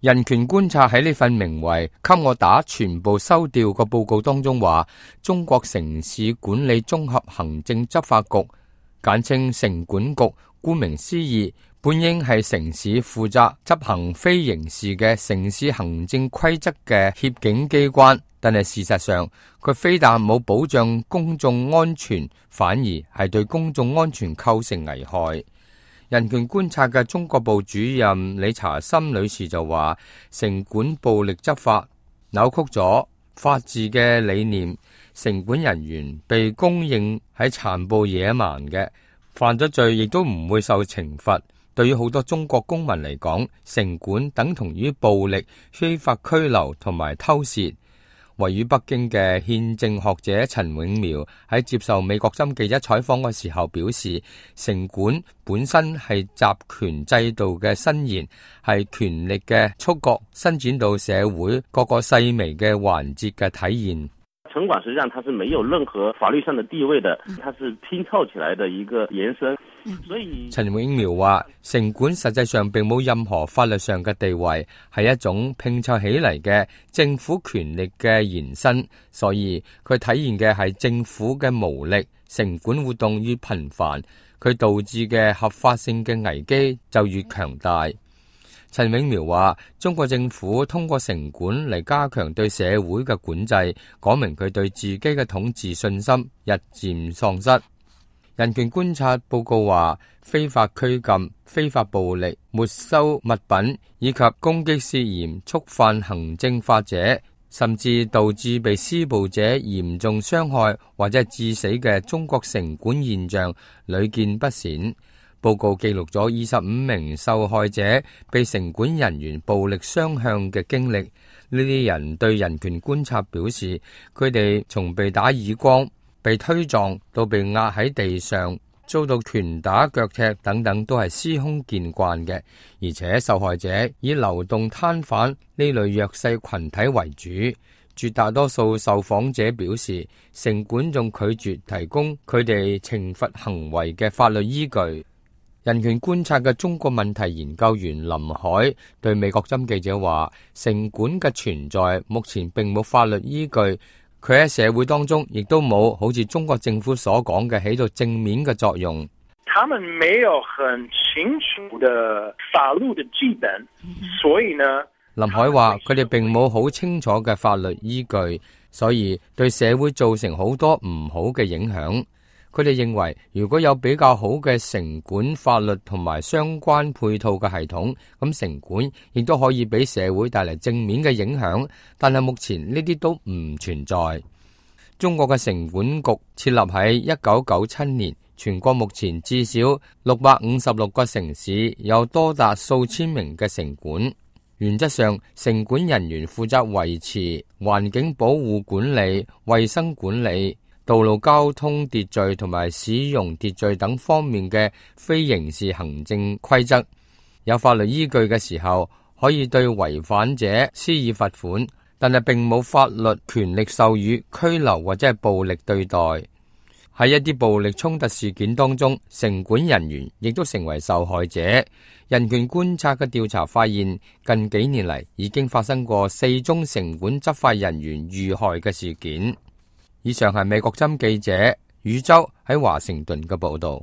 人權觀察喺呢份名為《給我打全部收掉》個報告當中話，中國城市管理綜合行政執法局，簡稱城管局，顧名思義，本應係城市負責執行非刑事嘅城市行政規則嘅協警機關，但係事實上，佢非但冇保障公眾安全，反而係對公眾安全構成危害。人權觀察嘅中國部主任理查森女士就話，城管暴力執法扭曲咗法治嘅理念，城管人員被公認係殘暴野蠻嘅，犯咗罪亦都唔會受懲罰。對於好多中國公民嚟講，城管等同於暴力、非法拘留同埋偷竊。位於北京嘅憲政學者陳永苗喺接受美國針記者採訪嘅時候表示，城管本身係集權制度嘅伸延，係權力嘅觸覺伸展到社會各個細微嘅環節嘅體現。城管實際上它是沒有任何法律上的地位的，它是拼湊起來的一個延伸。所以陳永苗話，城管實際上並冇任何法律上嘅地位，係一種拼湊起嚟嘅政府權力嘅延伸，所以佢體現嘅係政府嘅無力。城管活動越頻繁，佢導致嘅合法性嘅危機就越強大。陳永苗話，中國政府通過城管嚟加強對社會嘅管制，講明佢對自己嘅統治信心日漸喪失。人權觀察報告話，非法拘禁、非法暴力、沒收物品以及攻擊涉嫌觸犯行政法者，甚至導致被施暴者嚴重傷害或者致死嘅中國城管現象屢見不鮮。報告記錄咗25名受害者被城管人員暴力相向嘅經歷。呢啲人對人權觀察表示，佢哋從被打耳光、被推撞到被壓喺地上，遭到拳打腳踢等等，都係司空見慣嘅。而且受害者以流動攤販呢類弱勢群體為主。絕大多數受訪者表示，城管仲拒絕提供佢哋懲罰行為嘅法律依據。人權觀察嘅中國問題研究員林海對美國針記者話，城管嘅存在目前並冇法律依據，佢喺社會當中亦都冇好似中國政府所講嘅起到正面嘅作用。他們沒有很清楚的法律的基本，所以呢，林海話佢哋並冇好清楚嘅法律依據，所以對社會造成好多唔好嘅影響。佢哋認為，如果有比較好嘅城管法律同埋相關配套嘅系統，咁城管亦都可以俾社會帶嚟正面嘅影響。但係目前呢啲都唔存在。中國嘅城管局設立喺1997年，全國目前至少656個城市有多達數千名嘅城管。原則上，城管人員負責維持環境保護管理、衛生管理、道路交通秩序同埋使用秩序等方面嘅非刑事行政規則，有法律依據嘅時候，可以對違反者施以罰款，但係並冇法律權力授予拘留或者係暴力對待。喺一啲暴力衝突事件當中，城管人員亦都成為受害者。人權觀察嘅調查發現，近幾年嚟已經發生過4宗城管執法人員遇害嘅事件。以上係美國針記者宇宙喺華盛頓嘅報道。